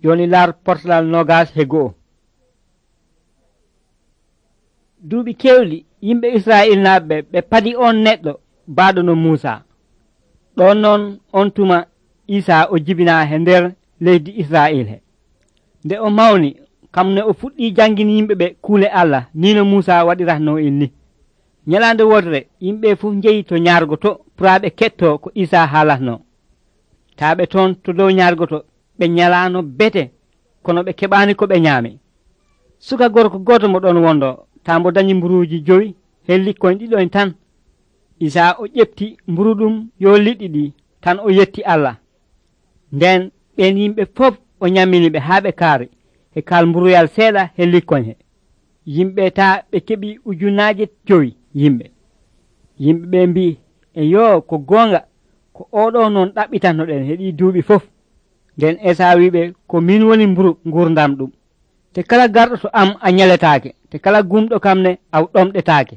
Joni laar portalal 21. Duuɓi kewli yimɓe Israa'il naɓɓe ɓe padi on neɗɗo baaɗo no Muusa. Ɗon noon on tuma Isa o jibina he nder leydi Israa'il he. Nde o mawni kam ne o fuɗɗi jangini yimɓe ɓe kuule Allah ni no Muusa waɗiratno en ni. Nyalande wodre yimɓe fu jeyi to ñaargoto puraaɓe ketto ko Isa haalatno. Taaɓe toon to dow ñaargoto ɓe nyalano bete kono ɓe keɓani ko ɓe ñaami. Suka gorko goto mo ɗon wondo tambo dañi mburuuji 5 hen likkoñ ɗiɗoñ tan. Isa o ƴefti mburu ɗum yo liɗɗi ɗi tan o yetti Allah. Nden ɓen yimɓe fof o ñamminiɓe haa ɓe kaari e kaal mburuyal seeɗa he likkoñ he. Yimɓe taa ɓe keɓi 5,000 yimɓe. Yimɓe ɓe mbi e yo ko goonga ko oɗo noon ɗaɓɓitannoɗen he ɗi duuɓi fof. Nden Esa wiɓe ko min woni mburu gurdam ɗum. Te kala garɗo to am a ñaletaake, te kala gumɗo kam ne a ɗomɗetaake.